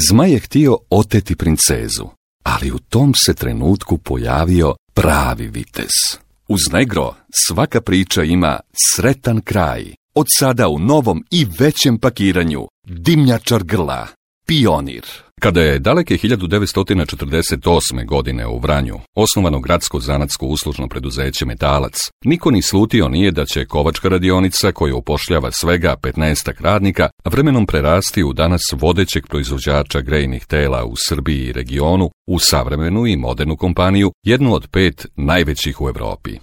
Zmaj je htio oteti princezu, ali u tom se trenutku pojavio pravi vitez. Uz Negro svaka priča ima sretan kraj. Od sada u novom i većem pakiranju. Dimnjačar grla. Pionir. Kada je daleke 1948. godine u Vranju osnovano gradsko zanatsko uslužno preduzeće Metalac, niko ni slutio nije da će kovačka radionica, koja upošljava svega 15 radnika, vremenom prerasti u danas vodećeg proizvođača grejnih tela u Srbiji i regionu, u savremenu i modernu kompaniju, jednu od 5 najvećih u Evropi.